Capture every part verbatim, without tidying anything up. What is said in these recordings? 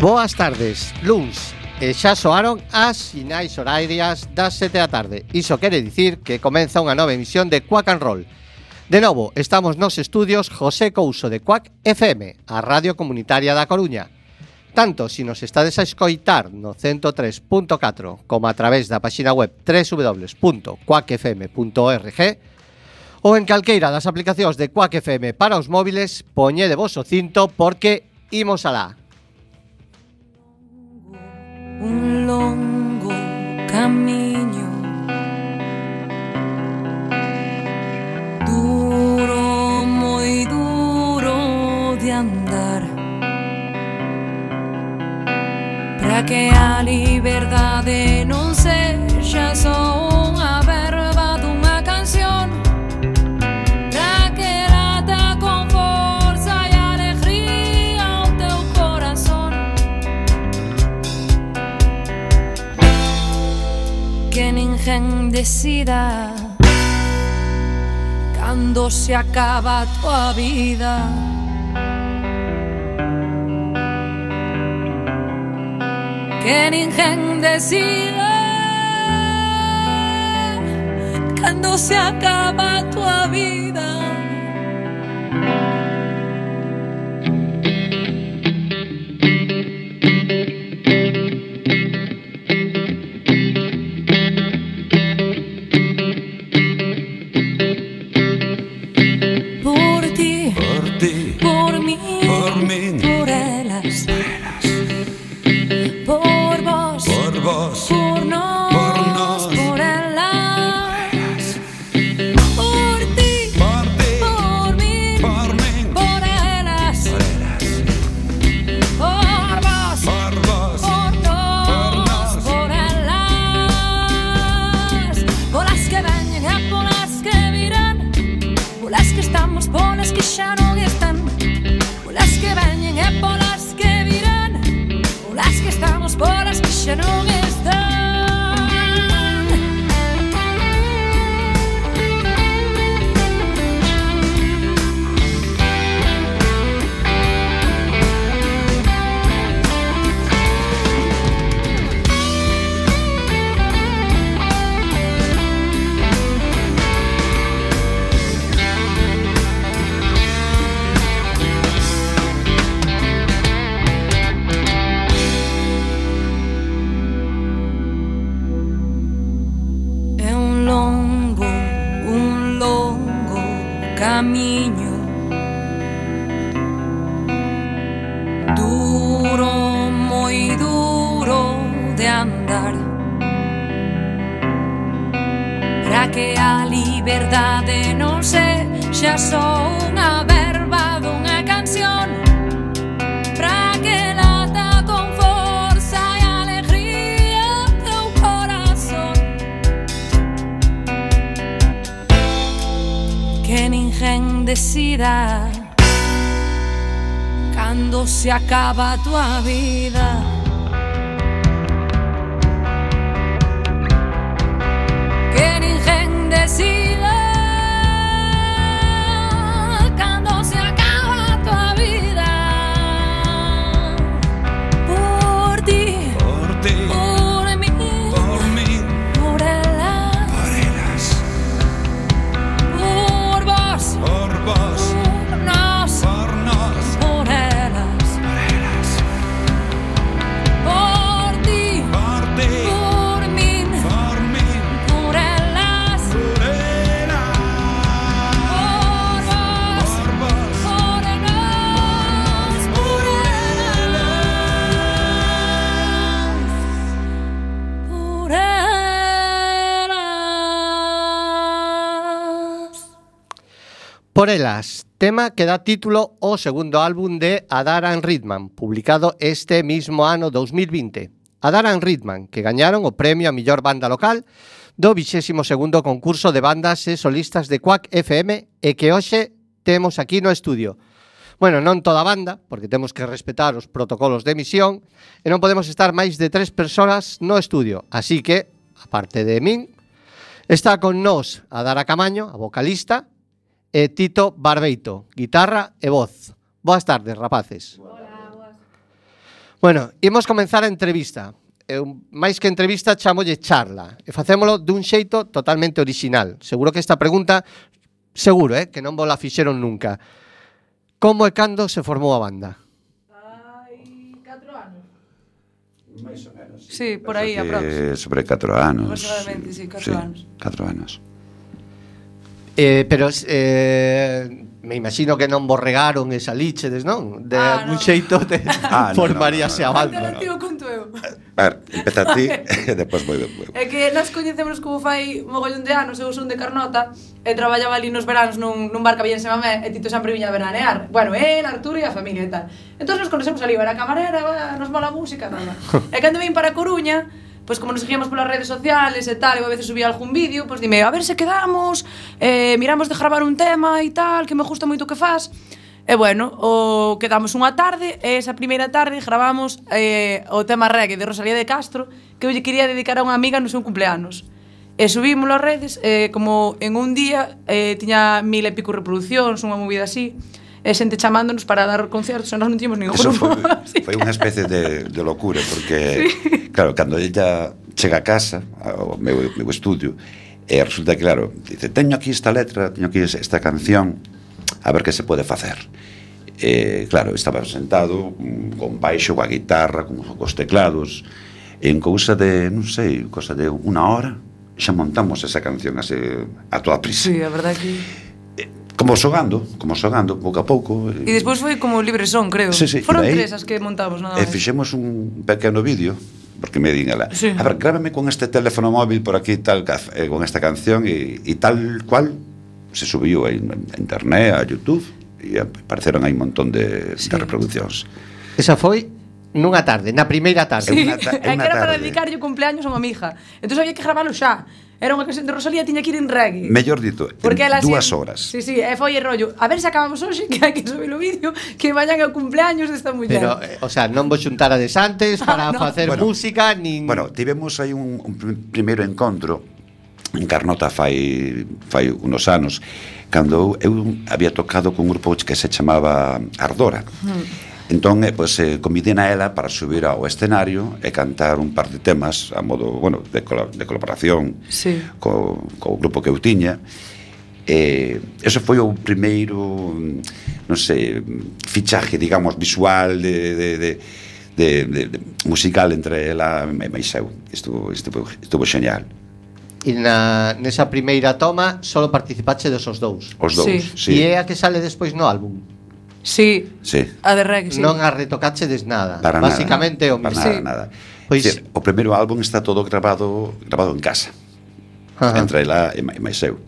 Boas tardes, luns, e xa soaron as sinais horarias das sete da tarde. Iso quere dicir que comeza unha nova emisión de Quack and Roll. De novo, estamos nos estudios José Couso de Quack F M, a radio comunitaria da Coruña. Tanto se nos estades a escoitar no ciento tres punto catro como a través da página web doble u doble u doble u punto quack f m punto org ou en calqueira das aplicacións de Quack F M para os móviles, poñede vos o cinto porque imos alá. Un longo camiño, duro, moi duro de andar, para que a liberdade non sexa só unha verba dunha canción, para que lata con forza e alegría o teu corazón, que ninguén decida cando se acaba a tua vida. Que ninguén decida cando se acaba a tua vida. Por ti, por ti, por mí, por mí, por elas, por vos, por vos, por nós, por nós, por elas, por ti, por ti, por mí, por mí, por elas, por elas, por vos, por vos, por por nós, nós, por elas, por as que veñen e por as que virán, por as que estamos, por as que xa non están, por as que veñen e por as que virán, por as que estamos, por as que xa non están. É un longo, un longo camiño, duro, moi duro de andar, para que a liberdade non sexa só unha verba dunha canción, para que lata con forza e alegría o teu corazón, que ninguén decida cando se acaba a tua vida. Que ninguén decida cando se acaba a tua vida. Por ti, por ti, por mí, por mí, por elas, por elas, por vos, por vos, por nós, por nós, por elas, por elas, por ti, por ti, por mí, por mí, por elas, por elas, por vos, por vos, por nós, por elas, por elas. Por elas, tema que dá título ao segundo álbum de Adar and Ridman, publicado este mismo ano dous mil vinte. Adar and Ridman, que gañaron o premio a mellor banda local do vixésimo segundo concurso de bandas e solistas de Quack F M e que hoxe temos aquí no estudio. Bueno, non toda a banda, porque temos que respetar os protocolos de emisión e non podemos estar máis de tres persoas no estudio. Así que, aparte de min, está con nós Adara Camaño, a vocalista, e Tito Barbeito, guitarra e voz. Boas tardes, rapaces. Hola, boas. Bueno, imos comenzar a entrevista. Eu, máis que entrevista, chamolle charla. E facémolo dun xeito totalmente orixinal. Seguro que esta pregunta, seguro, eh, que non vos la fixeron nunca. Como e cando se formou a banda? Hai catro anos. Mais ou menos. Sí, por aí, aprox. Sobre catro anos. Aproximadamente, sí, catro anos. catro anos. Eh, pero eh, me imagino que non vos regaron esa líchedes, non? De Ah, algún no. xeito te Ah, no, formaríase no, no, a no, banda. Antes tío conto eu. A ver, empeza ti e depois vou eu. É que nós coñecemos como fai mogollón de anos, eu son de Carnota e traballaba ali nos veranos nun, nun bar que había en Semamé e Tito sempre viña a veranear. Bueno, el, Arturo e a familia e tal. Entón nos conocemos ali, era camarera, va, nos mola a música, nada. E cando vim para a Coruña, pois como nos seguíamos polas redes sociales e tal, e a veces subía algún vídeo, pois dime, a ver se quedamos, eh, miramos de gravar un tema e tal, que me gusta moito o que faz. E bueno, o quedamos unha tarde, e esa primeira tarde gravamos eh, o tema reggae de Rosalía de Castro, que eu lle quería dedicar a unha amiga no seu cumpleanos. E subímolo ás redes, eh, como en un día eh, tiña mil e pico reproduccións, unha movida así, e xente chamándonos para dar conciertos, e nós non tiñamos ningún Eso grupo. foi, foi unha especie de, de locura, porque, sí. claro, cando ella chega a casa, ao meu, meu estudio, e resulta que, claro, dice, teño aquí esta letra, teño aquí esta canción, a ver que se pode facer. E, claro, estaba sentado con baixo, coa guitarra, con os teclados, e en cousa de, non sei, cousa de unha hora, xa montamos esa canción así, a toda prisa. Sí, a verdade que... Como xogando, como xogando, pouco a pouco. E despois foi como libre son, creo. Sí, sí, Foron aí, tres as que montamos, nada E máis. fixemos un pequeno vídeo, porque me din ela, Sí. a ver, grábame con este teléfono móvil por aquí, tal, eh, con esta canción, e, e tal cual se subiu a internet, a YouTube, e apareceron aí un montón de, Sí. de reproduccións. Esa foi nunha tarde, na primeira tarde. Sí, unha ta- é unha que era para tarde. dedicarlle o cumpleaños a unha amiga. Entón había que gravalo xa. Era unha canción de Rosalía, tiña que ir en reggae. Mellor dito, Porque en ela dúas así- horas. Sí, sí, e foi el rollo. A ver se acabamos hoxe, que hai que subir o vídeo, que mañan é o cumpleaños desta muller. Pero, eh, o sea, non vos xuntarades antes para Ah, no. facer Bueno, música, nin... Bueno, tivemos aí un, un pr- primeiro encontro en Carnota fai, fai unos anos, cando eu había tocado con un grupo que se chamaba Ardora. Mm. Entón, eh, pues, eh, convidei a ela para subir ao escenario e cantar un par de temas a modo, bueno, de, col de colaboración Sí. co, co grupo que eu tiña. E eso foi o primeiro, non sei, fichaje, digamos, visual de, de, de, de, de, de musical entre ela e máis eu. Estuvo, estuvo, estuvo xeñal. E na, nesa primeira toma solo participache desos dous. Os dous, Sí. sí. E é a que sale despois no álbum. Sí, Sí. a de reggae, sí. Non a retocache des nada. Para Básicamente nada, o para mismo. nada, nada. Pois- Pois, o primeiro álbum está todo grabado grabado en casa. Ajá. Entre ela e máis eu.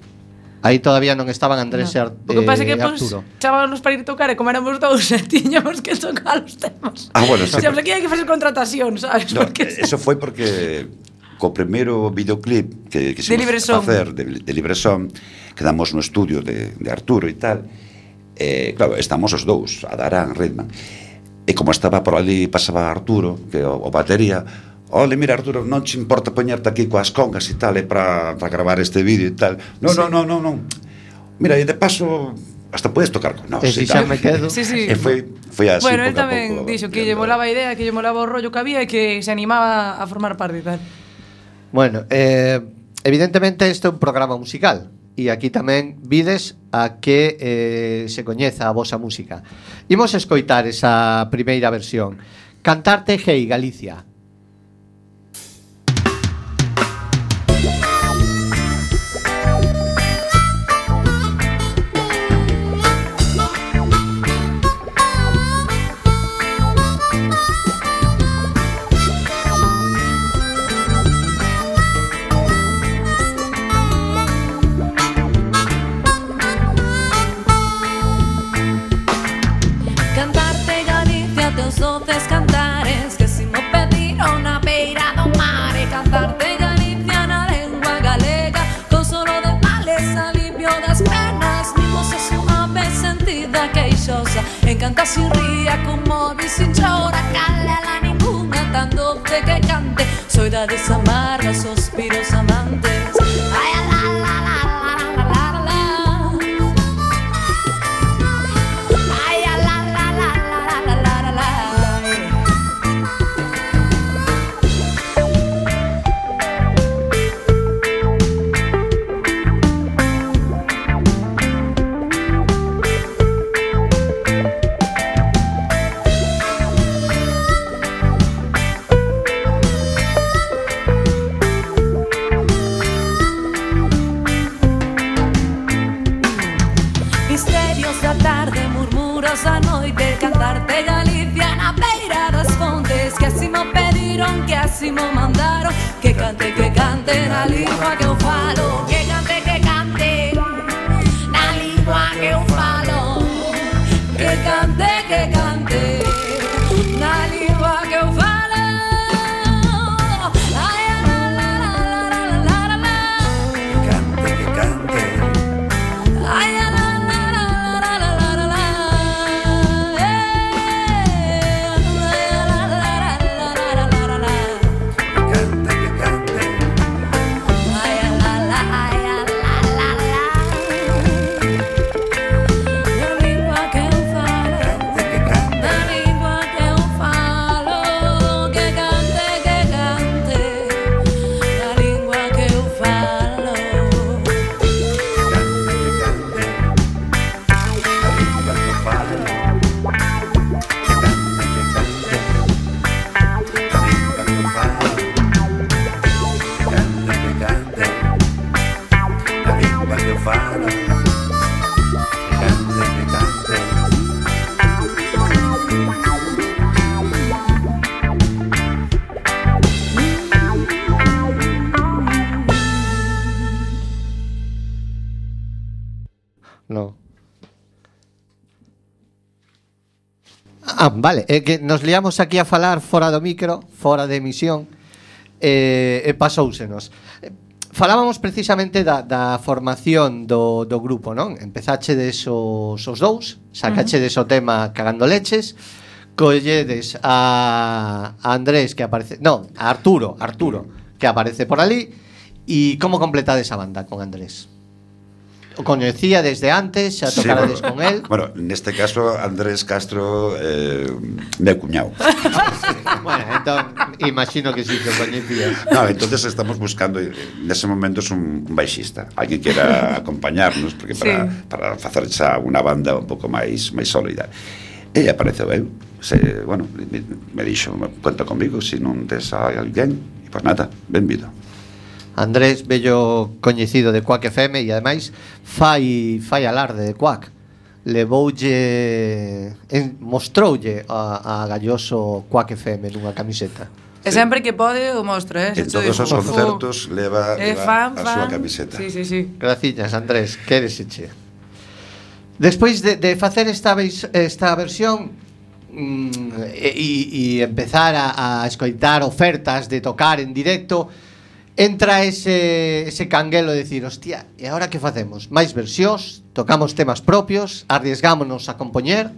Aí todavía non estaban Andrés e Ar- O que pasa é que eh, pues, Arturo. chábanos para ir tocar e como éramos dous e tiñamos que tocar os temas. Ah, bueno, sí. Xa, aquí hai que facer contratación, sabes? No, Porque eso foi porque co primeiro videoclip que quisimos De Libre Son. facer de, de Libre Son, quedamos no estudio de, de Arturo e tal, e claro, estamos os dous, Adarán, Redman, e como estaba por ali, pasaba Arturo, que o, o batería, ole, mira Arturo, non te importa poñerte aquí coas congas e tal, e para, para gravar este vídeo e tal, non, Sí. non, non, non, non, mira, e de paso hasta podes tocar con nós E si e xa tal. me quedo. Sí, sí. E foi, foi así bueno, él pouco a tamén pouco, dixo que lle tirando. molaba a idea, que lle molaba o rollo que había e que se animaba a formar parte e tal. Bueno, eh, evidentemente este é un programa musical e aquí tamén vides a que eh, se coñeza a vosa música. Imos escoitar esa primeira versión. Cantarte Hey Galicia. Cantarte Galicia, teus doces cantares, que si mo pediron na beira do mar. E cantarte Galicia na lengua galega, consolo de males, alivio das penas. Mi voz é suave, sentida, queixosa, encanta sin ría, conmove sin chora. Calela ninguna, tan doce que cante, soidades amargas, suspiros amantes. Ay, la la la la la la la la. Ay, la la la la la la la la. medios da tarde, murmuros da noite, cantarte Galicia na beira das fontes. Que así mo pediron, que así mo mandaron, que cante, que cante na lingua que eu falo. Que cante, que cante na lingua que eu falo. Que cante, que cante na lingua que eu falo. No. Ah, vale, é que nos liamos aquí a falar fora do micro, fora de emisión, e, e pasoúsenos. Falábamos precisamente da, da formación do, do grupo, non? Empezachedes os, os dous, sacachedes uh -huh. o tema Cagando Leches, colledes a, a Andrés que aparece, non, a Arturo, Arturo que aparece por ali, e como completades a banda con Andrés? O coñecía desde antes, xa tocarades sí, bueno, con él. Bueno, neste caso Andrés Castro eh, meu cuñado. Bueno, entón imagino que sí que o coñecía. No, entonces estamos buscando nese momento es un, un baixista, alguén que queira acompañarnos porque para sí. para facer xa unha banda un pouco máis máis sólida. E apareceu eu. Se, bueno, me, me dixo, conta comigo se si non tes a alguén. E pois nada, benvido. Andrés, bello coñecido de Quack F M e ademais fai fai alarde de Quack. Levoulle en, mostroulle a, a Galloso Quack F M nunha camiseta. E sempre que pode o mostra, eh? En todos os concertos leva, leva fan, a súa camiseta. Sí, sí, sí. Graciñas, Andrés, quéreseche. Despois de, de facer esta, esta versión mm, e, e empezar a, a escoitar ofertas de tocar en directo, entra ese, ese canguelo de decir, hostia, e agora que facemos? Mais versións, tocamos temas propios, arriesgámonos a compoñer?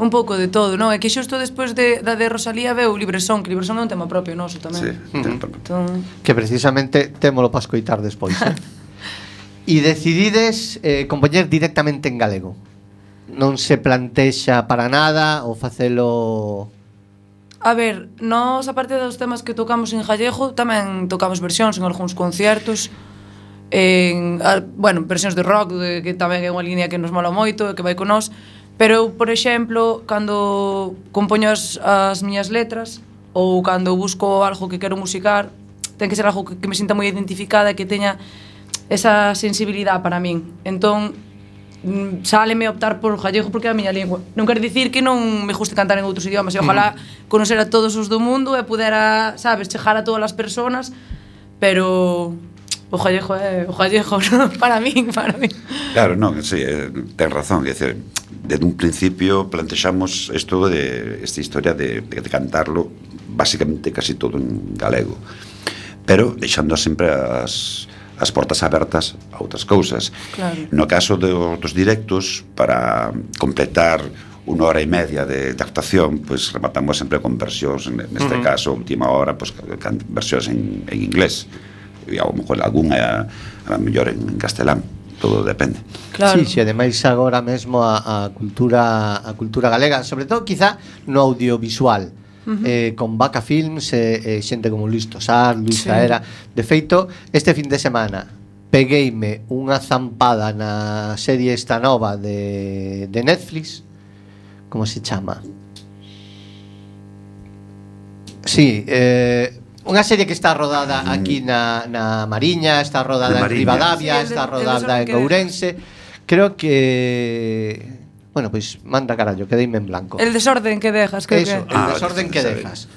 Un pouco de todo, non? É que xusto despois de, da de Rosalía veu Libresón, que Libresón é un tema propio noso tamén. Sí, uh -huh. entón... Que precisamente témolo para escoitar despois, eh? E decidides eh, compoñer directamente en galego. Non se plantexa para nada o facelo... A ver, nós, aparte dos temas que tocamos en gallego, tamén tocamos versións en algúns concertos, en, a, bueno, versións de rock, de, que tamén é unha línea que nos mola moito e que vai con nós, pero eu, por exemplo, cando compoño as, as miñas letras, ou cando busco algo que quero musicar, ten que ser algo que, que me sinta moi identificada e que teña esa sensibilidade para min. Entón, sáleme optar por gallego porque é a miña lingua. Non quer dicir que non me guste cantar en outros idiomas, e ojalá conocer a todos os do mundo e pudera, sabes, chegar a todas as persoas, pero o gallego é o gallego, non? Para min, para min. Claro, non, sí, ten razón, é dicir, desde un principio plantexamos isto de esta historia de, de, de cantarlo basicamente casi todo en galego, pero deixando sempre as as portas abertas a outras cousas. Claro. No caso de, dos directos, para completar unha hora e media de, de actuación, pois pues, rematamos sempre con versións, neste uh -huh. caso, última hora, pois pues, versións en, en inglés, e a lo mejor algunha a mellor en, en castelán, todo depende. Claro. Sí, sí, ademais agora mesmo a, a cultura a cultura galega, sobre todo quizá no audiovisual. Uh -huh. eh, con Vaca Films e eh, xente como Luis Tosar, Luis sí. Aera. De feito, este fin de semana pegueime unha zampada na serie esta nova de, de Netflix. Como se chama? Sí, eh, unha serie que está rodada aquí na, na Mariña, está rodada en Rivadavia, sí, está rodada en Ourense, creo que... Bueno, pois pues, manda carallo, quedeime en blanco. El desorden que dejas, creo Eso, que... el Ah, desorden que sabe. dejas.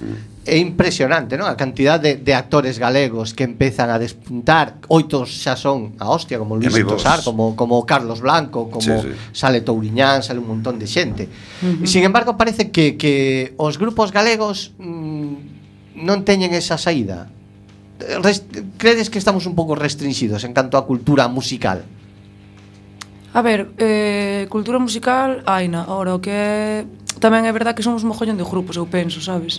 É impresionante, non? A cantidad de, de actores galegos que empezan a despuntar. Oitos xa son a hostia, como Luis moi bons. Tosar, como, como Carlos Blanco, como Sí, sí. sale Touriñán, sale un montón de xente. Uh-huh. E sin embargo parece que, que os grupos galegos mmm, non teñen esa saída. Rest, credes que estamos un pouco restringidos en canto a cultura musical? A ver, eh, cultura musical, aina. Ahora, o que é... Tamén é verdad que somos un mogollón de grupos, eu penso, sabes?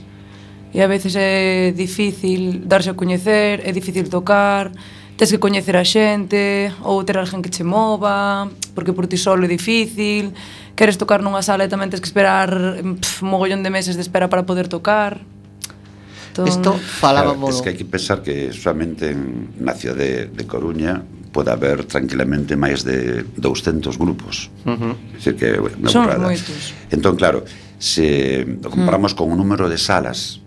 E a veces é difícil darse a coñecer, é difícil tocar, tes que coñecer a xente, ou ter alguén que che mova, porque por ti solo é difícil, queres tocar nunha sala e tamén tes que esperar pff, un mogollón de meses de espera para poder tocar. Entón... Isto Claro, falábamos... es que hai que pensar que solamente en, na cidade de, de Coruña pode haber tranquilamente máis de douscentos grupos. Uh-huh. É dicir que é unha Son burrada. moitos. Entón, claro, se lo comparamos mm. con o número de salas,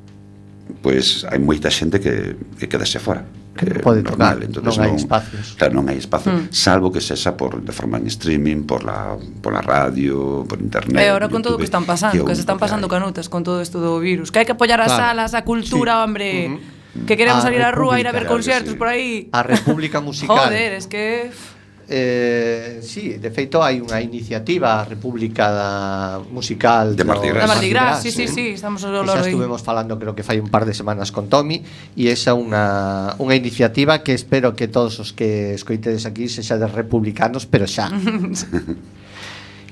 pois pues, hai moita xente que, que quedase fora. Que non pode tocar, non hai espacios. Claro, non hai espacio, Mm. salvo que sexa por, de forma en streaming, por la, por la radio, por internet. E agora con todo o YouTube, que están pasando, é o que se único están pasando hai. canutas con todo isto do virus, que hai que apoiar as Claro. salas, a cultura, Sí. hombre. Ujú. Que queremos A salir á rúa, ir a ver República, conciertos claro por aí. A República Musical. Joder, es que Eh, sí, de feito hai unha iniciativa República da musical De Mardi Da Gras. Mardi Gras, sí, sí, sí, estamos a E lo xa aí. estuvemos falando, creo que fai un par de semanas con Tommy, e esa unha unha iniciativa que espero que todos os que escoitedes aquí sexa de republicanos, pero xa.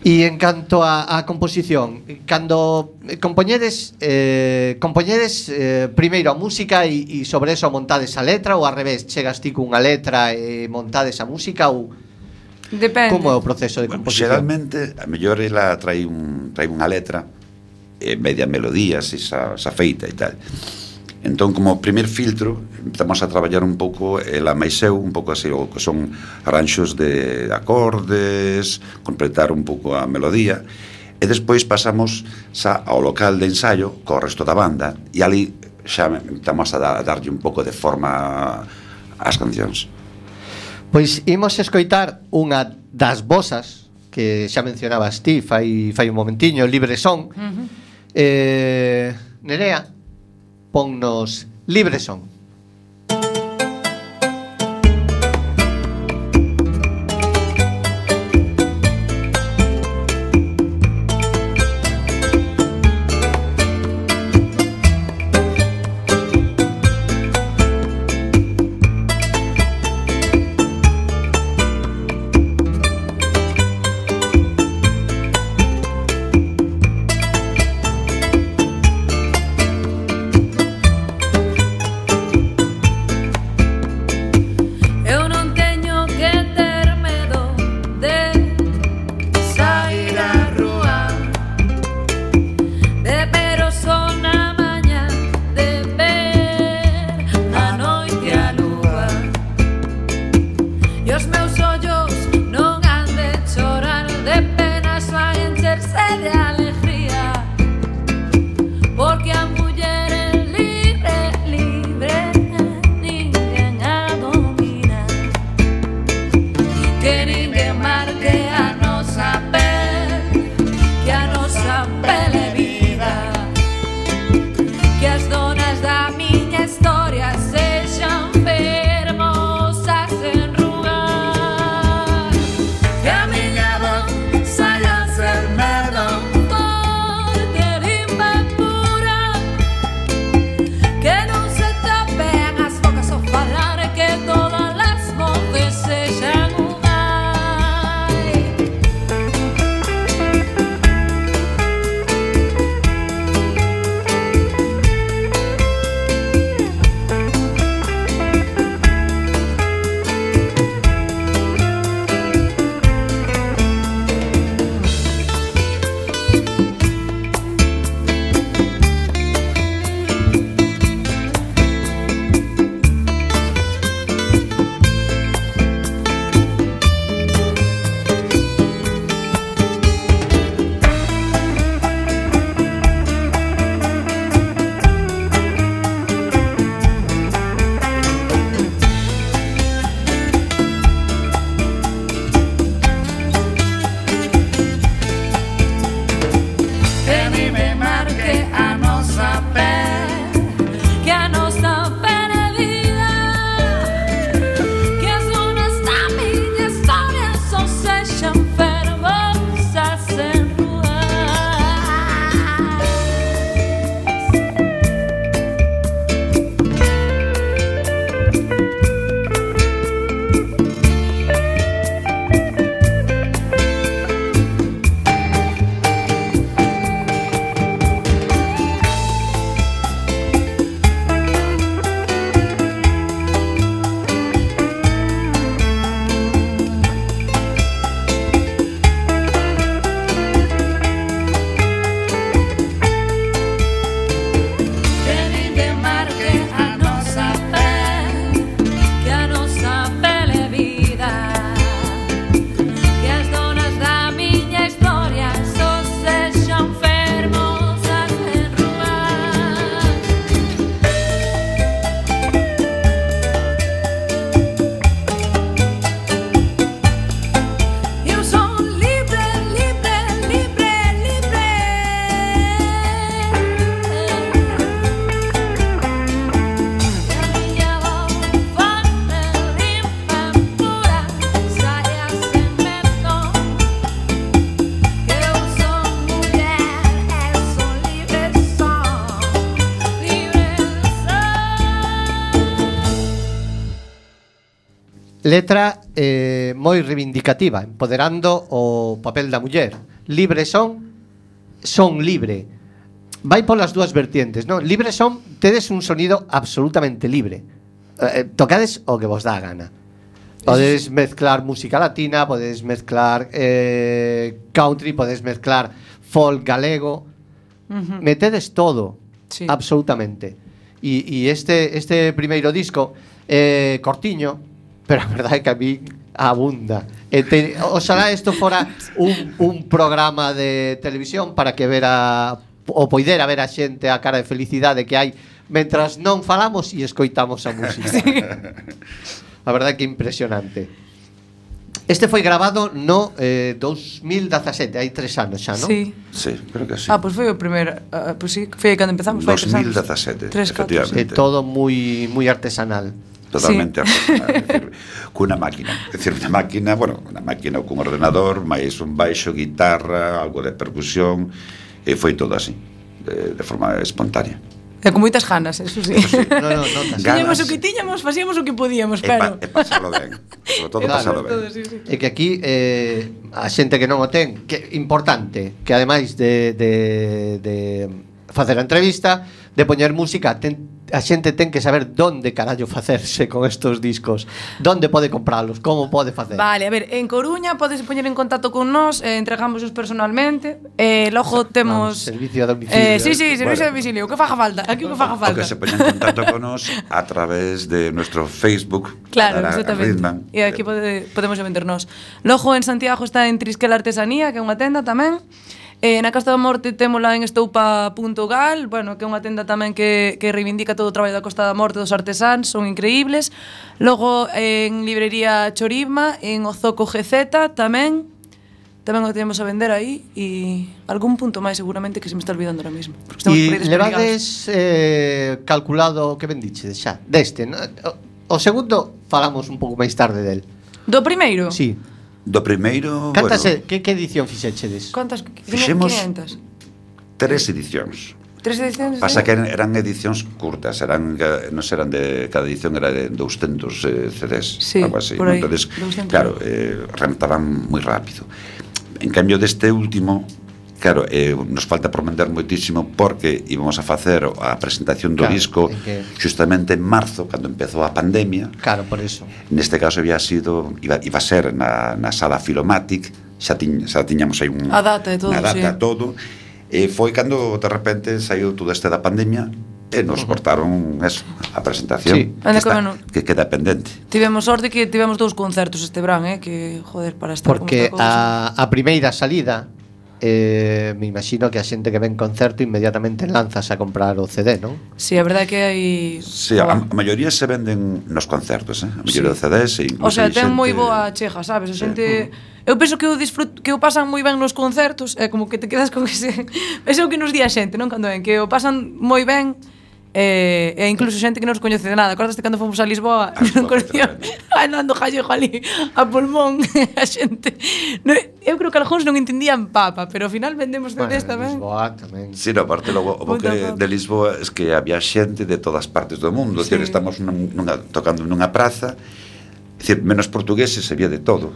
E en canto a, a composición, cando compoñedes eh, compoñedes eh, primeiro a música e, e sobre eso montades a letra, ou ao revés, chegas ti cunha letra e montades a música, ou Depende. como é o proceso de Bueno, composición? xeralmente, a mellor ela trae, un, trae unha letra e media melodía, se xa, xa feita e tal. Entón, como primer filtro, empezamos a traballar un pouco ela máis eu, un pouco así, o que son arranxos de acordes, completar un pouco a melodía, e despois pasamos xa ao local de ensaio co resto da banda, e ali xa empezamos a, da, a darlle un pouco de forma ás cancións. Pois imos escoitar unha das vosas que xa mencionabas ti fai, fai un momentiño, Libre Son. Uh-huh. eh, Nerea, ponnos Libre Son. letra eh, moi reivindicativa, empoderando o papel da muller. Libre son, son libre. Vai polas dúas vertientes, non? Libre son, tedes un sonido absolutamente libre. Eh, tocades o que vos dá a gana. Podes mezclar música latina, podes mezclar eh, country, podes mezclar folk galego. Uh-huh. Metedes todo, Sí. absolutamente. E, e este, este primeiro disco é eh, cortiño, pero a verdade é que a mí abunda. E te, oxalá isto fora un, un programa de televisión para que vera o poidera ver a xente a cara de felicidade que hai mentras non falamos e escoitamos a música. Sí. A verdade é que é impresionante. Este foi grabado no eh, dos mil dezasete, hai tres anos xa, non? Sí. Sí, creo que sí. Ah, pois foi o primeiro, uh, pois sí, foi aí cando empezamos, foi dos mil dezasete, tres, efectivamente. É todo moi moi artesanal. Totalmente sí. Artesanal, é dicir, cunha máquina, é dicir, unha máquina, bueno, unha máquina cun ordenador, máis un baixo, guitarra, algo de percusión, e foi todo así, de, de forma espontánea. E con moitas ganas, eso sí. Eso sí. No, no, no, Tiñamos o que tiñamos, facíamos o que podíamos, E, pero... pa, e pasalo ben, sobre todo Claro, pasalo ben. todo, sí, sí. É que aquí eh, a xente que non o ten, que importante, que ademais de, de, de facer a entrevista, de poñer música, ten, a xente ten que saber donde carallo facerse con estos discos, donde pode compralos, como pode facer. Vale, a ver, en Coruña podes poñer en contacto con nós, eh, entregámosos personalmente, e eh, logo temos... Vamos, servicio a domicilio. Eh, sí, sí, servicio Bueno. a domicilio, o que faga falta, aquí o que faga O falta. que se poña en contacto con nos a través de nuestro Facebook. Claro, Adara exactamente. Ritman. E aquí pode, podemos vendernos. Logo en Santiago está en Trisquel Artesanía, que é unha tenda tamén. Eh, na Costa da Morte témola en estoupa punto gal, bueno, que é unha tenda tamén que, que reivindica todo o traballo da Costa da Morte dos artesáns, son increíbles. Logo en librería Chorima, en Ozoco G Z tamén, tamén o temos a vender aí, e algún punto máis seguramente que se me está olvidando ahora mismo. E levades eh, calculado o que vendiche xa, deste, no? O, o segundo falamos un pouco máis tarde del. Do primeiro? Sí. Do primeiro, Cantas, bueno, que, que edición fixechedes? Cantas? Fixemos- quinhentas? tres edicións. Tres edicións? Pasa sí? que eran, eran edicións curtas, eran eh, non eran de cada edición era de douscentos eh, C Ds, Sí, algo así. por aí, Entonces, doscientos. claro, eh, remataban moi rápido. En cambio deste último, claro, eh, nos falta por vender moitísimo porque íbamos a facer a presentación do Claro, disco en que- justamente en marzo, cando empezou a pandemia. Claro, por eso. Neste caso había sido iba, iba a ser na, na sala Filomatic, xa, tiñ, xa tiñamos aí un, A data e todo, a data sí. todo, e foi cando de repente saiu todo este da pandemia e nos cortaron eso, a presentación, Sí. que, Anda, está, como non. que queda pendente. Tivemos sorte que tivemos dous concertos este verán, eh, que joder, para estar Porque como está a, a primeira salida eh, me imagino que a xente que ven concerto inmediatamente lanzas a comprar o C D, non? Sí, a verdade é que hai... Sí, a, a maioría se venden nos concertos, eh? A maioría Sí. de C Ds e O incluso sea, hai ten xente- moi boa chega, sabes? A xente... Eu penso que o disfrut que o pasan moi ben nos concertos, é como que te quedas con ese... Ese é o que nos di a xente, non? Cando ven, que o pasan moi ben, e, e incluso xente que non os coñece de nada. Acordaste cando fomos a Lisboa, A Lisboa, non coñecía, andando jallejo ali a pulmón, a xente... No, eu creo que algúns non entendían papa, pero ao final vendemos C Ds tamén. Lisboa tamén. Sí, no, aparte logo o bo Puta que papa. de Lisboa es que había xente de todas partes do mundo, Sí. sí. Estamos nun, nunha, tocando nunha praza, é dicir, menos portugueses, había de todo.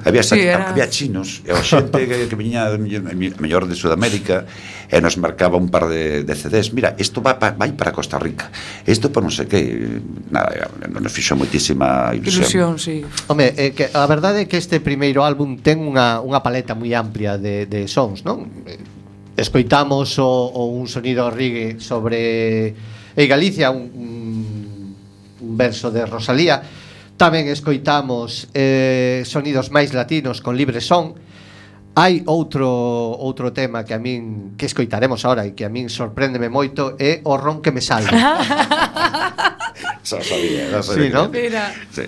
Había, Sí, sí, era- había chinos, e a xente que, que viña a mellor de Sudamérica e nos marcaba un par de, de C Ds. Mira, isto va pa, vai para Costa Rica, isto para non sei que, nada, nos fixo moitísima Ilusión, ilusión. sí. Home, é que a verdade é que este primeiro álbum ten unha, unha paleta moi amplia de, de sons, non? Escoitamos o, o un sonido reggae sobre Ei Galicia, un, un, un verso de Rosalía. Tamén escoitamos eh, sonidos máis latinos con Libre Son. Hai outro outro tema que a min que escoitaremos ahora e que a min sorpréndeme moito é o ron que me salve. Xa sabía, xa Sí, sabía. ¿no? Mira, Sí.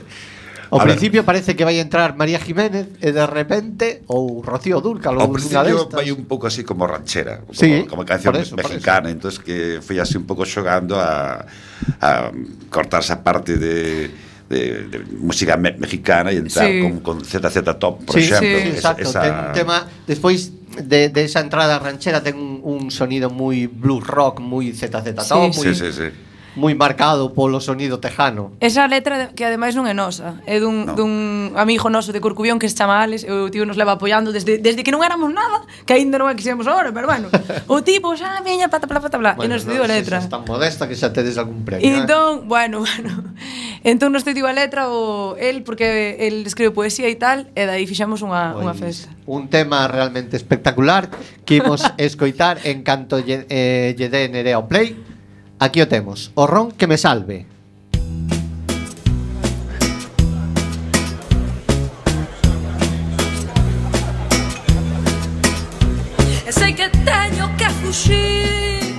Ao A ver, principio parece que vai entrar María Jiménez e de repente ou Rocío Dúrcal ou Ao unha principio destas. vai un pouco así como ranchera, como, Sí, como canción por eso, por mexicana, entonces que foi así un pouco xogando a, a cortar esa parte de De, de música me mexicana e entrar Sí. con, con Z Z Top, por Sí, exemplo. sí, esa, exacto, esa... ten un tema despois de, de esa entrada ranchera ten un, un sonido moi blues rock, moi Z Z Top, Sí, moi Sí, sí, sí. moi marcado polo sonido tejano. Esa letra que ademais non é nosa, é dun, No. dun amigo noso de Corcubión que se chama Alex, e o tío nos leva apoiando desde, desde que non éramos nada, que aínda non é que seamos ahora, pero bueno, o tipo xa veña pata pata pata bla, e nos non dio a sei letra. se es tan modesta que xa tedes algún premio. E eh? entón, bueno, bueno. Entón nos dio a letra o el porque el escribe poesía e tal, e dai fixamos unha unha Pois, festa. un tema realmente espectacular que imos escoitar en canto lle, eh, lle dé Nerea o play. Aquí o temos, o ron que me salve. E sei que teño que fuxir,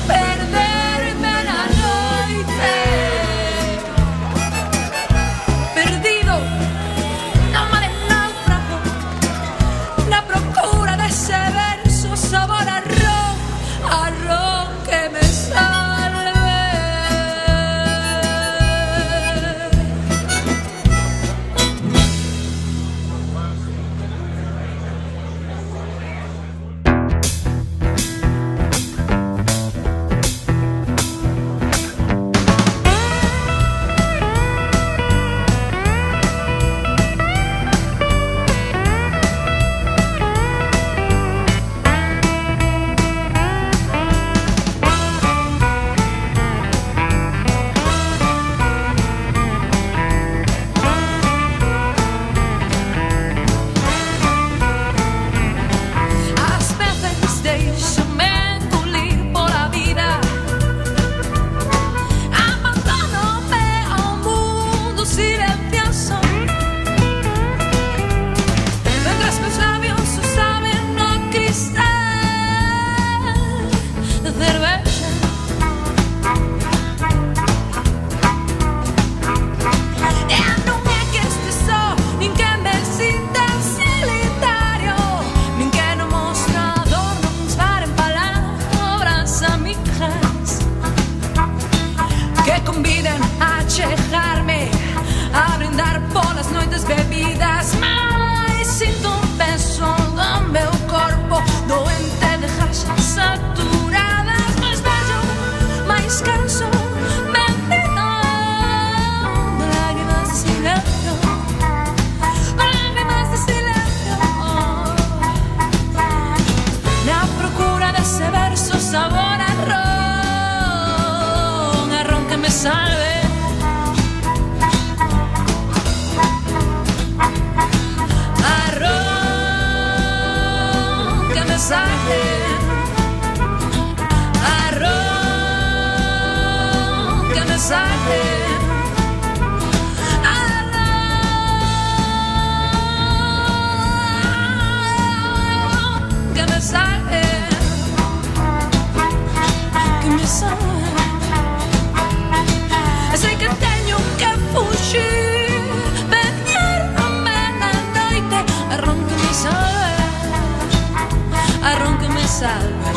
perderme na noite, perdido no mar en náufrago, na procura dese verso sabor a ron, a ron que me salve. Ás veces deixo-me engolir pola vida, abandónome ao mundo silencioso, mientras meus labios o saben no cristal de cervexa. E non é que este só, nin que me sinta solitario, nin que no mostrador non paren palabras amigas que conviden a chegarme, a brindar polas noites bebidas. Mais sinto un peso do meu corpo doente de jaxas saturadas, máis bello, máis canso, bendito de lágrimas de silencio, lágrimas de silencio, na procura dese verso sabor a ron, a ron que me salve, a ron que me salve, a ron que me salve, a ron que me salve, que me salve. E sei que teño que fuxir, perderme na noite, a ron que me salve, a ron que me salve.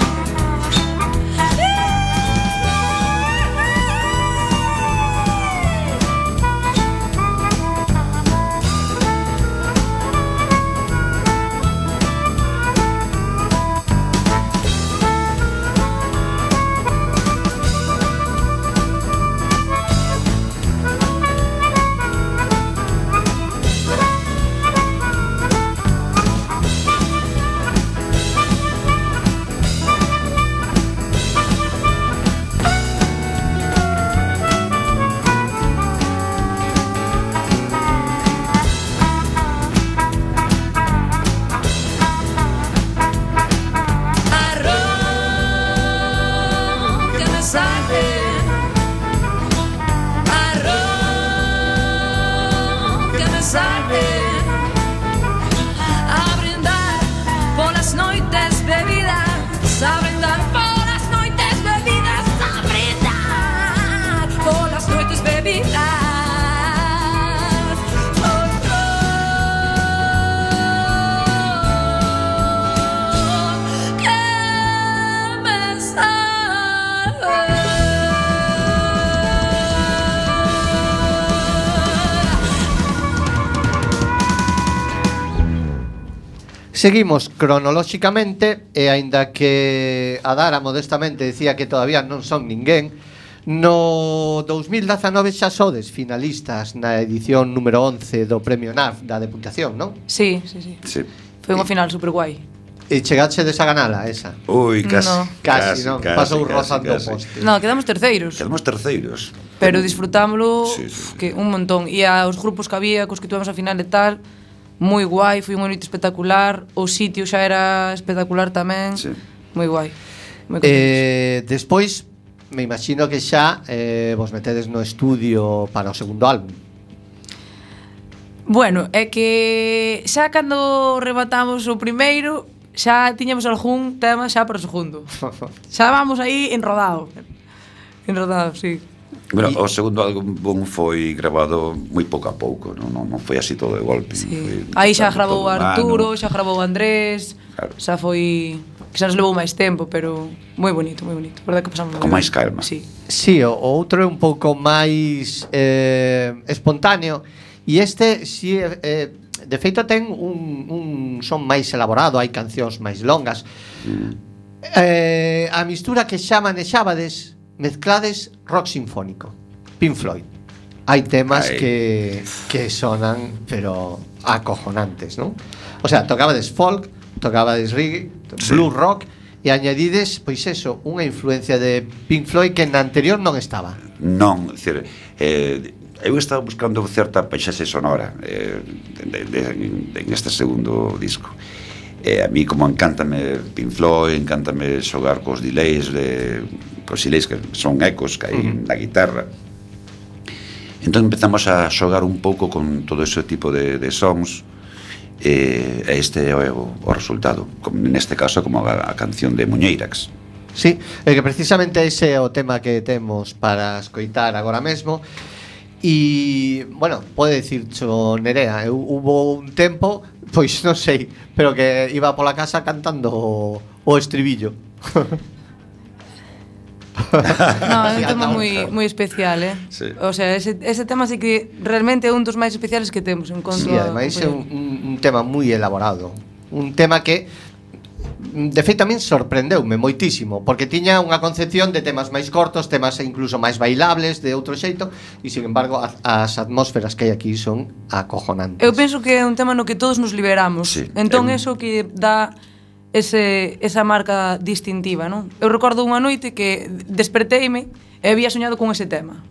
Seguimos cronolóxicamente e aínda que a Dara modestamente dicía que todavía non son ninguén, No dous mil dezanove xa sodes finalistas na edición número once do Premio N A F da Deputación, non? Sí, sí, sí. Sí. Foi unha final super guai. E chegaxe desa ganala, esa. Ui, casi. No. Casi, non? Pasou rozando o poste. No, quedamos terceiros. Quedamos terceiros. Pero disfrutámoslo Sí, sí, sí. que un montón. E aos grupos que había, cos que tuvemos a final e tal, moi guai, foi unha noite espectacular. O sitio xa era espectacular tamén. Sí. Moi guai. Moi contentos. Eh, despois, me imagino que xa eh, vos metedes no estudio para o segundo álbum. Bueno, é que xa cando rematamos o primeiro, xa tiñamos algún tema xa para o segundo. Xa vamos aí enrodado. Enrodado, sí. Bueno, Y- o segundo álbum foi grabado moi pouco a pouco, non, non, non foi así todo de golpe. Sí. Foi Aí xa todo grabou un ano. Arturo, xa grabou Andrés. Claro. Xa foi que xa nos levou máis tempo, pero moi bonito, moi bonito. Verdade que pasamos Con moi máis ben. calma. Sí. Sí, o o outro é un pouco máis eh, espontáneo. E este, si, eh, de feito, ten un, un son máis elaborado, hai cancións máis longas. Eh, a mistura que xa manexábades, mezclades rock sinfónico, Pink Floyd. Hai temas Ai. que, que sonan, pero acojonantes, non? O sea, tocabades folk, tocabades reggae, Sí. blues rock, e añadides, pois eso, unha influencia de Pink Floyd que na anterior non estaba. Non, decir, eh, eu estaba buscando certa paisaxe sonora eh, de, de, de, en este segundo disco. Eh, a mí como encántame Pink Floyd, encántame xogar cos delays de, cos delays que son ecos que hai uh-huh. na guitarra. Entón empezamos a xogar un pouco con todo ese tipo de, de sons. E eh, este é o, o resultado, como neste caso como a, a canción de Muñeirax. Sí, é que precisamente ese é o tema que temos para escoitar agora mesmo. E, bueno, pode dicircho Nerea, eu, hubo un tempo, pois non sei, pero que iba pola casa cantando o, o estribillo. No, é un Sí, tema ata moi outra. moi especial, eh. Sí. O sea, ese ese tema sí que realmente é un dos máis especiales que temos en conto Sí, a ademais é un, compoñer. un, un tema moi elaborado. Un tema que de feito a min sorprendeume moitísimo, porque tiña unha concepción de temas máis cortos, temas incluso máis bailables de outro xeito, e sin embargo as, as atmósferas que hai aquí son acojonantes. Eu penso que é un tema no que todos nos liberamos. Sí, Entón é un- eso que dá ese esa marca distintiva, non? Eu recordo unha noite que desperteime e había soñado con ese tema.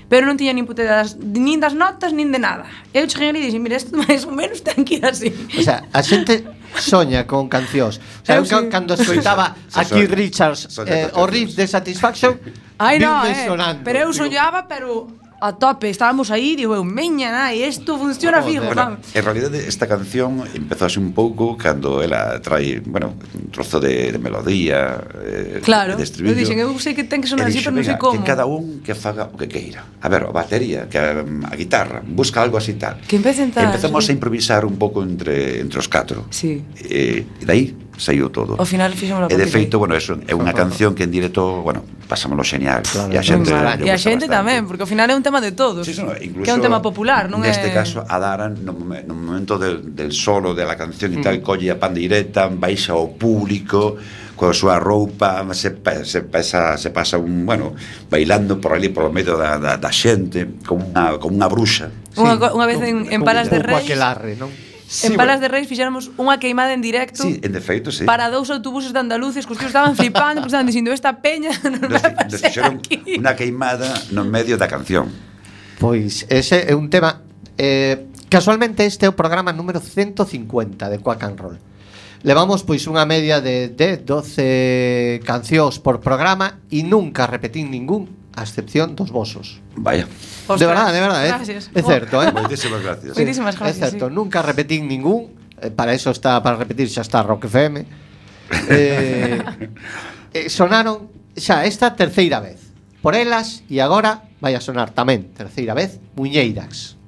Pero non tiña nin puta idea das, nin das notas, nin de nada. Eu cheguei ali e dixen, mira, isto máis ou menos ten que ir así. O sea, a xente soña con cancións. O sea, eu Eu sí. cando escoitaba Se a Keith soña. Richards Soña eh, con o riff de Satisfaction, Ai, no, viume eh. sonando. Pero eu Digo, soñaba, pero a tope. Estábamos aí, digo eu, meña, nai, isto funciona Joder. fijo, Bueno, vamos. en realidad esta canción empezó así un pouco cando ela trae, bueno, un trozo de, de melodía, eh, Claro, de estribillo. eu dixen, eu sei que ten que sonar E así, dixo, pero non sei "Venga, como. que cada un que faga o que queira. A ver, a batería, que a, a guitarra, busca algo así tal. Que empecen tal, Empezamos sí. a improvisar un pouco entre, entre os catro. Sí. E, e dai saiu todo. Ao final fixemos a E de partir feito, de aí. bueno, eso é unha canción que en directo, bueno, pasámoslo xeñal. Claro, e a moi xente, mal. lle E a gusta xente bastante. tamén, porque ao final é un tema de todos. Sí, sí, no, incluso que é un tema popular, non neste é... caso a Daran no, momen- no momento del, del solo de la canción e tal, colle a pandeireta, baixa ao público coa súa roupa, se, pa- se, pasa, se pasa un, bueno, bailando por ali por medio da, da, da xente como unha, como unha bruxa. Unha, co- unha vez en, en Palas de Un pouco Reis, aquelarre, non? en Palas de Reis fixéramos unha queimada en directo Sí, en defeito, sí. para dous autobuses de andaluces, que os tíos estaban flipando, porque estaban dicindo, esta peña non Nos, vai nos pasar fixeron aquí. unha queimada no medio da canción. Pois ese é un tema eh, casualmente este é o programa número ciento cincuenta de Quack and Roll. Levamos pois unha media de dez, doce cancións por programa e nunca repetín ningún, a excepción dos vosos. Vaya. De Ostras, verdade, de verdade, é, gracias. é certo, eh? Moitísimas gracias. Sí. Moitísimas gracias, É certo, sí. nunca repetín ningún, eh, para eso está, para repetir xa está Rock F M. Eh, eh, sonaron xa esta terceira vez. Por elas e agora vai a sonar tamén terceira vez Muñeirax.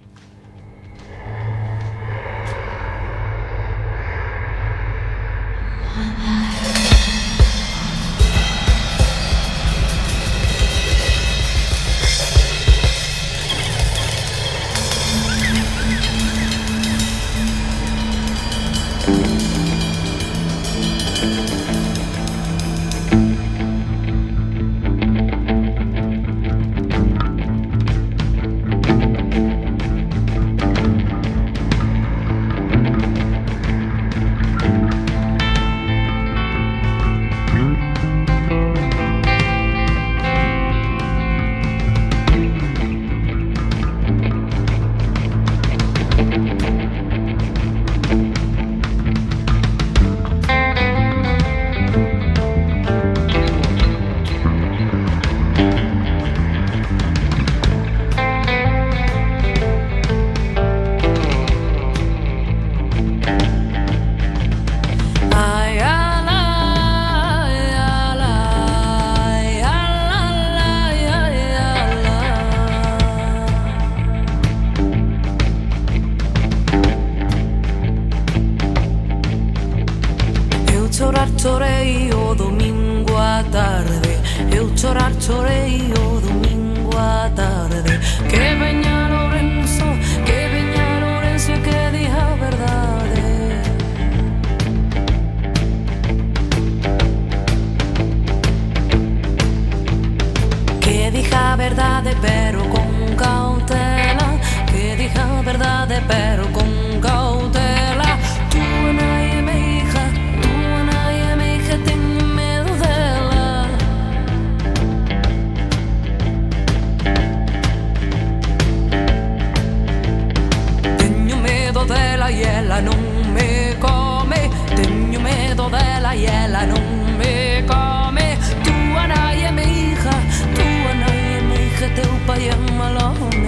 chorar chorei o domingo á tarde, eu chorar chorei o domingo á tarde. Que veña Lorenzo, que veña Lorenzo e que diga a verdade. Que diga a verdade pero con cautela, que diga a verdade pero con cautela. Tu nai é mi hija, tu nai é mi hija, teño medo dela. Teño medo dela e ela non me come. Teño medo dela e ela non me come. Tu nai é mi hija, tu nai é mi hija, teu pai é un mal home.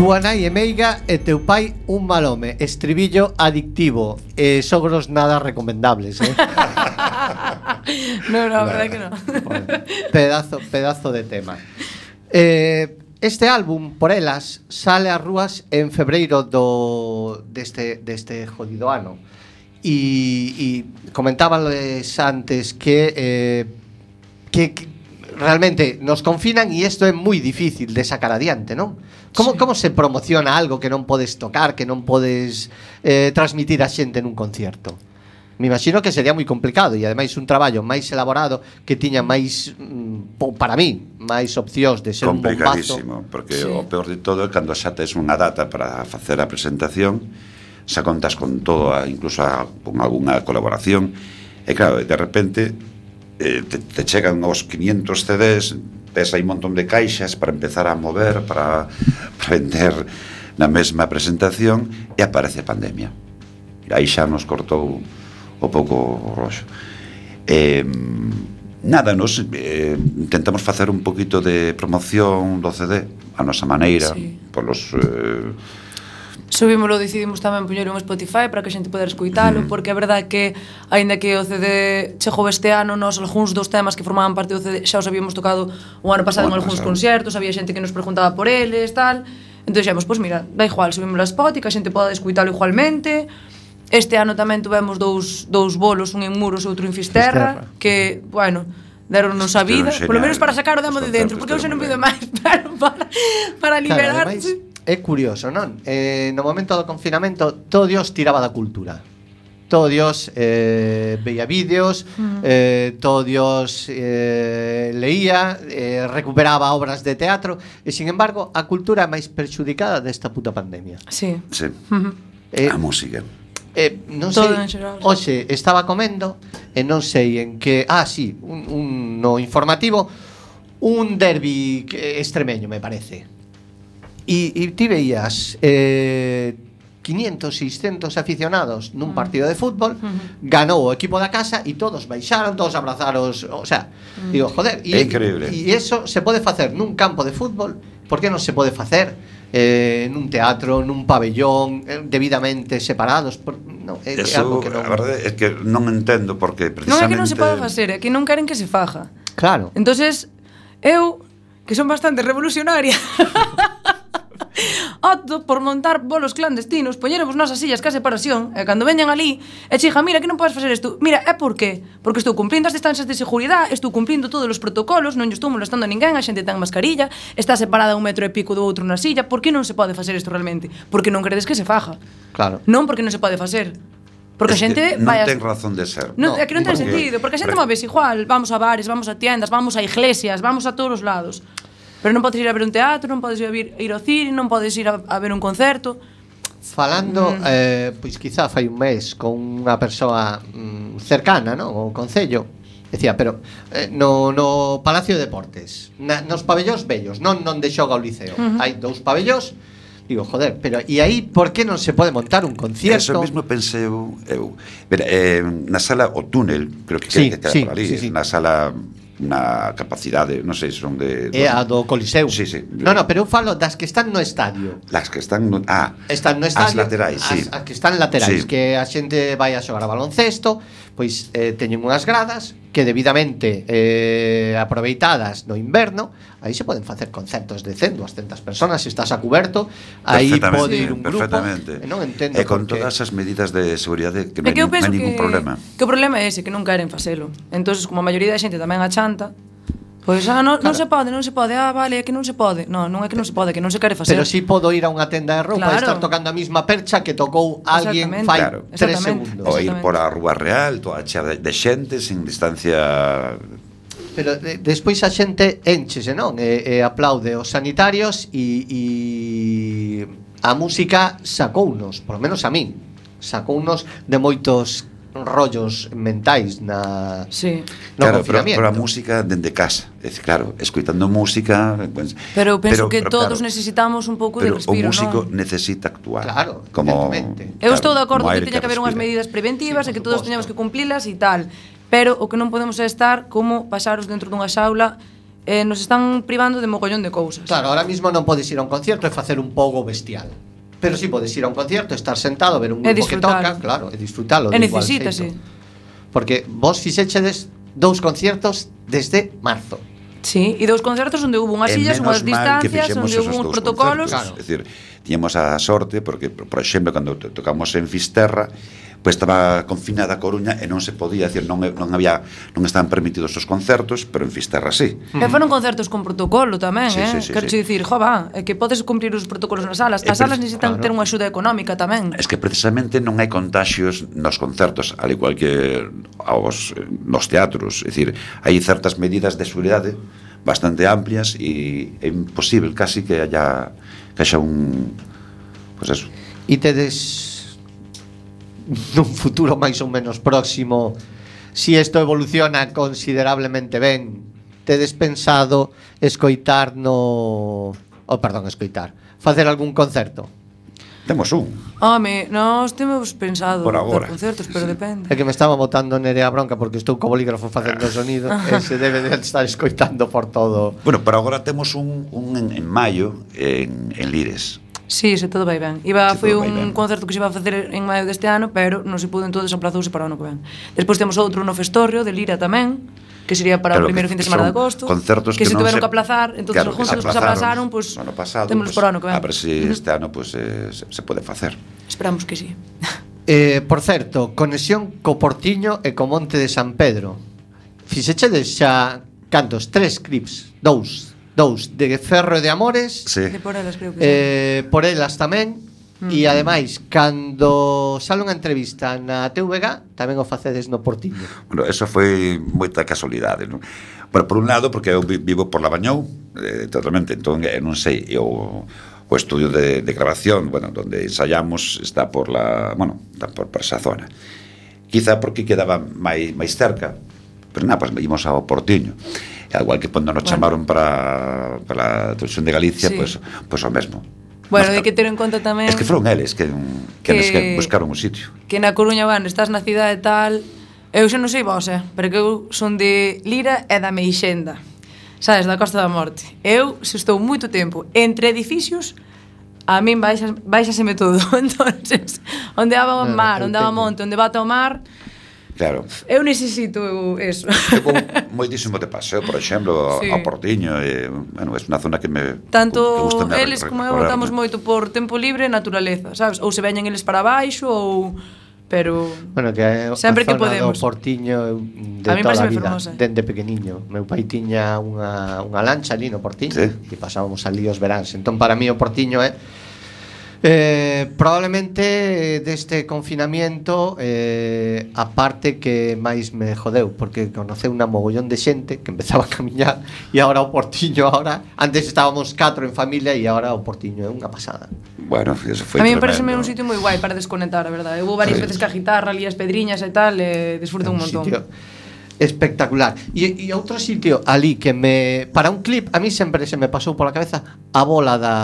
Túa nai é meiga e teu pai un mal home. Estribillo adictivo. eh, Sogros nada recomendables, eh? No, no, a verdade que no. Bueno, pedazo, pedazo de tema. eh, Este álbum, Por elas, sale ás rúas en febreiro do deste, deste jodido ano. E, e comentábales antes que, eh, que que realmente nos confinan e isto é moi difícil de sacar adiante, non? Como, sí. Como se promociona algo que non podes tocar, que non podes eh, transmitir a xente nun concierto? Me imagino que sería moi complicado e ademais un traballo máis elaborado que tiña máis, mm, para mí, máis opcións de ser un bombazo. Complicadísimo, porque sí. O peor de todo é cando xa tes unha data para facer a presentación, xa contas con todo, incluso a, con algunha colaboración, e claro, de repente eh, te, te chegan os quinientos C Ds, ves aí un montón de caixas para empezar a mover, para, para vender na mesma presentación, e aparece a pandemia. E aí xa nos cortou o pouco o roxo. Eh, nada, nos eh, intentamos facer un poquito de promoción do C D a nosa maneira, sí. Polos eh, Subímolo, decidimos tamén poñelo en Spotify para que a xente poder escoitalo, porque a verdade é que, aínda que o C D chegou este ano, nós algúns dos temas que formaban parte do C D xa os habíamos tocado o ano pasado en algúns concertos, había xente que nos preguntaba por eles, tal. Entón dixemos, pois mira, da igual, subímolo a Spotify, que a xente poda escoitalo igualmente. Este ano tamén tuvemos dous, dous bolos, un en Muros e outro en Fisterra, Fisterra. que, bueno, deronnos a vida, Estiveron polo menos genial. para sacar o demo Os de dentro, porque eu xa non pido máis, pero para, para liberarse. Claro, ademais, é curioso, non? Eh, no momento do confinamento, todo Dios tiraba da cultura. Todo Dios eh, veía vídeos, Mm. eh, todo Dios eh, leía, eh, recuperaba obras de teatro, e, sin embargo, a cultura é máis perxudicada desta puta pandemia. Sí. Sí. Ujú. Eh, A música. Eh, non Todo sei, en xeral. hoxe estaba comendo e non sei en que, ah, sí, un, un no informativo, un derbi que- extremeño, me parece. E, e ti veías eh, quinientos, seiscentos aficionados nun partido de fútbol, ganou o equipo da casa e todos baixaron, todos abrazaros, o sea, digo, joder, É increíble. E eso se pode facer nun campo de fútbol, por que non se pode facer eh, nun teatro, nun pabellón, eh, debidamente separados? Por, no, é, é Eso, algo que non... a verdade é que non entendo porque Non é precisamente que non se pode facer, é que non queren que se faja. Claro. Entonces, eu, que son bastante revolucionaria, opto por montar bolos clandestinos, poñeremos nosas sillas ca separación, e cando veñan ali, e chija, mira, que non podes facer isto. Mira, é por qué? Porque estou cumplindo as distancias de seguridade, estou cumplindo todos os protocolos, non lle estou molestando a ninguén, a xente ten mascarilla, está separada un metro e pico do outro na silla. Por que non se pode facer isto realmente? Porque non credes que se faja. Claro. Non porque non se pode facer. Porque a Es que xente non vai a... ten razón de ser. Non, No, é que non ten porque- sentido, porque a xente porque- moves igual, vamos a bares, vamos a tiendas, vamos a iglesias, vamos a todos os lados. Pero non podes ir a ver un teatro, non podes ir a, vir, ir ao cine, non podes ir a, a ver un concerto. Falando, eh, pois quizá fai un mes con unha persoa mm, cercana, non? O Concello, decía, pero eh, no, no Palacio de Deportes, na, nos pabellóns bellos, non non de xoga o Liceo, uh -huh. hai dous pabellóns. Digo, joder, pero e aí por que non se pode montar un concierto? Eso mesmo pensei eu, eu. Mira, eh, na sala o túnel, creo que Sí, que queda sí, por ali, sí, sí. na sala na capacidade, non sei se son de É a do Coliseu. Sí, sí. No, no, pero eu falo das que están no estadio. Las que están no, ah, Están no estadio. as laterais, sí. As, as que están laterais, Sí. que a xente vai a xogar a baloncesto, pois eh, teñen unhas gradas que debidamente eh, aproveitadas no inverno, aí se poden facer concertos de cen, duascentas personas, se estás a cuberto, aí Perfectamente, pode ir un grupo. perfectamente. E non entendo E con por que- todas as medidas de seguridade que É non que eu penso hai ningún que, problema. que o problema é ese, que non queren facelo. Entonces, como a maioría da xente tamén achanta, pois, ah, non, non se pode, non se pode, ah, vale, é que non se pode. Non, non é que non se pode, é que non se quere facer. Pero si podo ir a unha tenda de roupa e Claro. estar tocando a mesma percha que tocou alguén Exactamente. fai Claro. tres Exactamente. segundos. O ir Exactamente. por a Rúa Real, toda chea de, de xente sin distancia. Pero de, despois a xente enchese, non? E, e aplaude os sanitarios e, e a música sacounos, por lo menos a min, sacounos de moitos rollos mentais na Sí. no Claro, pero, confinamiento. pero a música dende casa. É dicir, claro, escoitando música, pues, Pero penso que pero, todos claro, necesitamos un pouco de pero respiro, o músico non? necesita actuar. Claro, como evidentemente. Eu claro, estou de acordo como que aire teña que haber unhas respira. medidas preventivas Sí, e que por todos suposto. teñamos que cumplilas e tal. Pero o que non podemos é estar como pasaros dentro dunha xaula, eh, nos están privando de mogollón de cousas. Claro, ahora mismo non podes ir a un concierto e facer un pogo bestial. Pero si sí podes ir a un concierto, estar sentado, ver un E grupo que disfrutar. toca, claro, e disfrutalo E de igual necesítase. xeito. Porque vos fixechedes dous conciertos desde marzo. Sí, e dous concertos onde hubo unhas E sillas, menos unhas mal que distancias, fixemos onde esos hubo uns dous protocolos. concertos. É dicir, tiñamos a sorte porque, por por exemplo, cando to- tocamos en Fisterra, pois estaba confinada a Coruña e non se podía, decir, non non había non estaban permitidos os concertos, pero en Fisterra sí. E foron concertos con protocolo tamén, Sí, eh? sí, sí, Quero sí. dicir, jo, va, é que podes cumplir os protocolos nas salas. E As salas pre- necesitan claro. ter unha axuda económica tamén. Es que precisamente non hai contaxios nos concertos, al igual que aos, nos teatros. É dicir, hai certas medidas de seguridade bastante amplias e é imposible casi que haya que haya un pues eso. E tedes nun futuro máis ou menos próximo, si isto evoluciona considerablemente ben, tedes pensado escoitar no... Oh, perdón, escoitar. Facer algún concerto? Temos un. Home, nós temos pensado Por agora. dar concertos, pero depende. É que me estaba botando Nerea bronca porque estou co bolígrafo facendo o sonido e se debe de estar escoitando por todo. Bueno, pero agora temos un, un en, en maio en, en Lires. Sí, se todo vai ben. Iba, Se foi todo vai un ben. concerto que se iba a facer en maio deste ano, pero non se pudo, entonces aplazouse para o ano que ven. Despois temos outro no Festorrio, de Lira tamén, que sería para Claro, o primeiro que fin de semana de son agosto, concertos que, que se non tuveron se- que aplazar, entonces claro, claro, juntos que se aplazaron, pues, no ano pasado, témolos pues, para o ano que ven. A ver si este ano pues, eh, se, se pode facer. Esperamos que sí. Eh, por certo, conexión co Portiño e co Monte de San Pedro. Fixechedes xa cantos? Tres clips, dous, dous de Ferro e de Amores, Sí. De por elas creo que sí. eh, por elas tamén. E ademais, cando sale unha entrevista na T V G, tamén o facedes no Portiño. Bueno, eso foi moita casualidade, non? Bueno, por un lado, porque eu vi- vivo por Labañou, eh, totalmente, entón, eh, non sei, eu, o estudio de, de grabación, bueno, donde ensayamos, está por la, bueno, está por, por esa zona. Quizá porque quedaba máis, máis cerca, pero nada, pues ímos ao Portiño. E igual que cando nos Bueno. chamaron para, para a televisión de Galicia, Sí. pues, pues o mesmo. Bueno, Mas, hai que ter en conta tamén Es que foron eles que, que, que- que buscaron o sitio. que na Coruña, van, estás na cidade tal. Eu xa non sei vos, eh, pero que eu son de Lira e da Meixenda. Sabes, da Costa da Morte. Eu, se estou moito tempo entre edificios, a min baixas, baixaseme todo. Entonces, onde haba o No, mar, eu onde haba teño. monte, onde bata o mar, Claro. eu necesito eso. Eu vou moitísimo de paseo, por exemplo, Sí. sí. ao Portiño, e, bueno, é unha zona que me Tanto que gusta me eles como eu votamos moito por tempo libre e naturaleza, sabes? Ou se veñen eles para baixo ou pero Bueno, que é Sempre a que zona podemos. do Portiño eu, de A mí toda a pareceme vida, fermosa. dende pequeniño. Meu pai tiña unha, unha lancha ali no Portiño Sí. e pasábamos ali os veráns. Entón, para mí o Portiño é eh, probablemente deste confinamiento eh, a parte que máis me jodeu, porque conoceu unha mogollón de xente que empezaba a camiñar e agora o Portiño, agora antes estábamos catro en familia e agora o Portiño é unha pasada. Bueno, eso foi a mí me tremendo. parece un sitio moi guai para desconectar, a verdade. Eu vou varias Sí. veces ca guitarra, ali as pedriñas e tal, e disfruto un montón. Sitio espectacular. E, e outro sitio ali que me para un clip a mí sempre se me pasou pola cabeza a bola da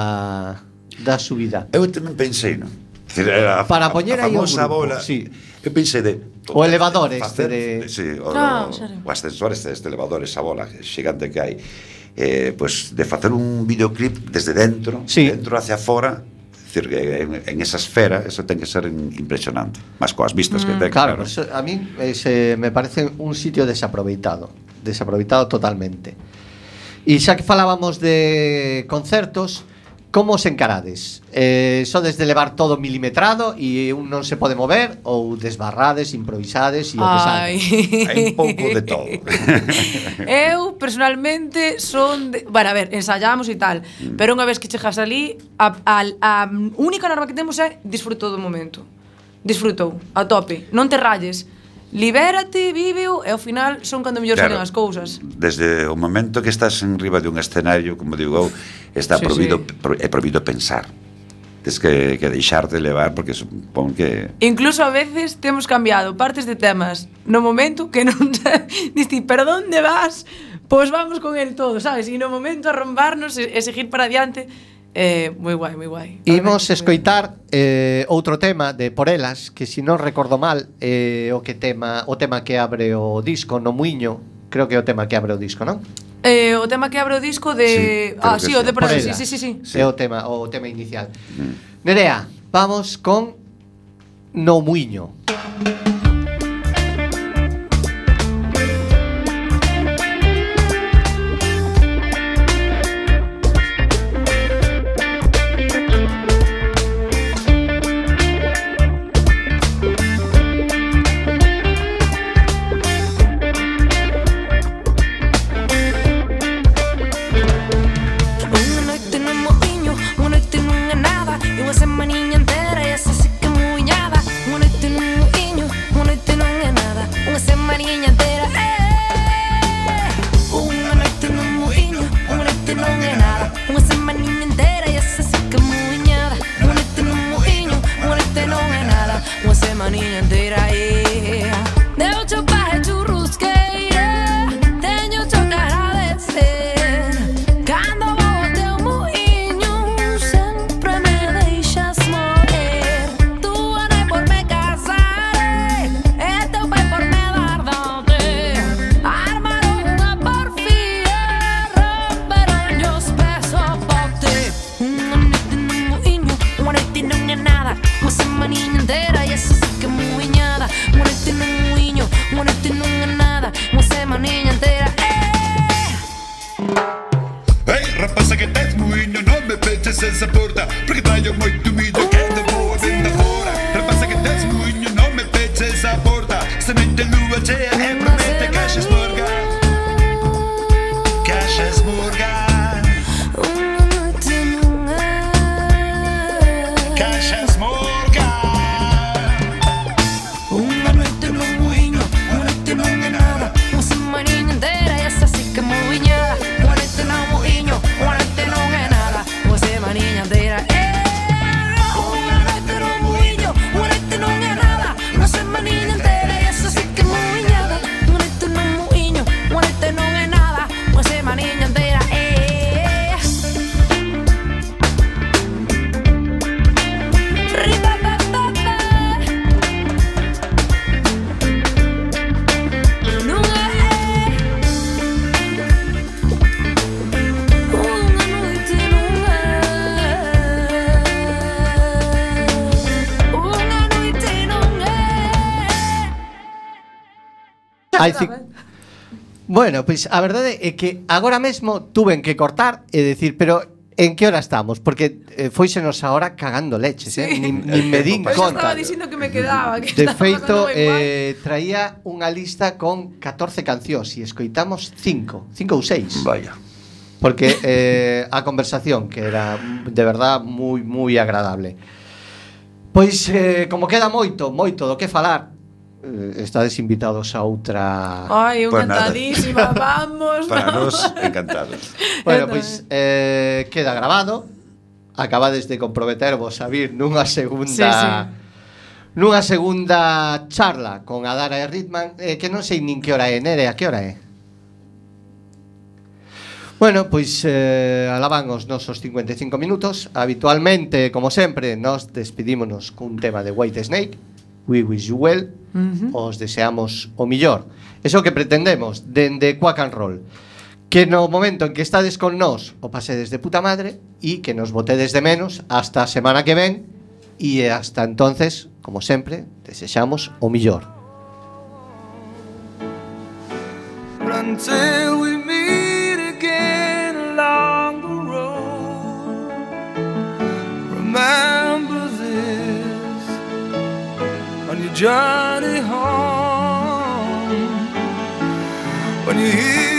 da subida. Eu tamén pensei, non? Decir, era a, Para poñer a aí o famosa grupo, bola. sí. Eu pensei de O elevador este facer- de- sí, o, Ah, o, serio. o ascensor este, este elevador, esa bola xigante que hai. Eh, pues de facer un videoclip desde dentro, Sí. dentro hacia fora. Decir, que en, en esa esfera eso ten que ser impresionante. Más coas vistas que ten. Claro, eso, a mí ese me parece un sitio desaproveitado, desaproveitado totalmente. E xa que falábamos de concertos, como os encarades? Eh, sodes de levar todo milimetrado e un non se pode mover ou desbarrades, improvisades e o que salga? Ai. Hai un pouco de todo. Eu, personalmente, son de... Bueno, a ver, ensayamos e tal, pero unha vez que chegas ali, a, a, a única norma que temos é disfruto do momento. Disfrutou, a tope. Non te rayes. Libérate, víveo, e ao final son cando mellor Claro. salen as cousas. Desde o momento que estás en riba de un escenario, como digo eu, está Sí, prohibido, sí. pro, é prohibido pensar. Tens que, que deixarte levar, porque supón que... Incluso a veces temos cambiado partes de temas no momento que non diste, pero onde vas? Pois vamos con el todo, sabes? E no momento arrombarnos e, e seguir para adiante. Eh, moi guai, moi guai. Imos escoitar eh, outro tema de Por Elas, que se non recordo mal, é eh, o que tema, o tema que abre o disco no Muiño, creo que é o tema que abre o disco, non? Eh, o tema que abre o disco de... Sí, creo ah, que sí, sí. o de por Por aí, sí, Elas. sí, sí, sí. Sí. É o tema, o tema inicial. Nerea, vamos con No Muiño. Unha noite no moinho, unha noite nunha nada, e unha semaniña entera e esa sí que muiñada. Unha noite no moinho, Morete nun muiño, morete non é nada. Unha semaniña entera, eh. Ei, rapaza que tes muiño, non me peches esa porta, porque traio moito millo que te vou a venda fora. Rapaza que tes muiño, non me peches esa porta, semente lúa chea e promete que xa esmorga, que xa esmorga, Unha noite non é. que xa esmorga. Unha noite nun muiño, unha noite non é nada. Unha semaniña inteira e esa sí que é moviñada. Unha noite nun muiño, unha noite non é nada. Unha semaniña inteira, eh. Unha noite nun muiño, unha noite non é nada. Unha semaniña inteira e esa sí que é moviñada. Unha noite nun muiño, unha noite non é nada. Unha semaniña inteira, eh. Riba, ba, ba, ba. Non é. Unha noite non é. Unha noite non é. Hai ci- Bueno, pois a verdade é que agora mesmo tuven que cortar e decir, pero en que hora estamos? Porque eh, foisenos a hora cagando leches, eh? Nin, nin me din Pois eu conta. estaba dicindo que me quedaba, que De estaba feito, pasando ben mal. eh, traía unha lista con catorce cancións e escoitamos cinco, cinco ou seis. Vaya. Porque eh, a conversación que era de verdad moi moi agradable. Pois eh, como queda moito, moito do que falar, eh, estades invitados a outra. Ai, eu Pues nada. encantadísima, vamos. Para vamos. nós, encantados. Bueno, Eu pois eh, queda grabado. Acabades de comprometervos a vir nunha segunda Sí, sí. nunha segunda charla con Adara e Ritman, eh, que non sei nin que hora é, Nere, a que hora é? Bueno, pois eh, alaban os nosos cincuenta e cinco minutos. Habitualmente, como sempre, nos despedímonos cun tema de White Snake, We Wish You Well. Ujú. Os deseamos o millor. Eso que pretendemos dende Quack and Roll, que no momento en que estades con nós o pasedes de puta madre e que nos botedes de menos hasta a semana que ven, e hasta entonces, como sempre, desexamos o millor. Until we meet again along the road, remember this on your journey home. When you hear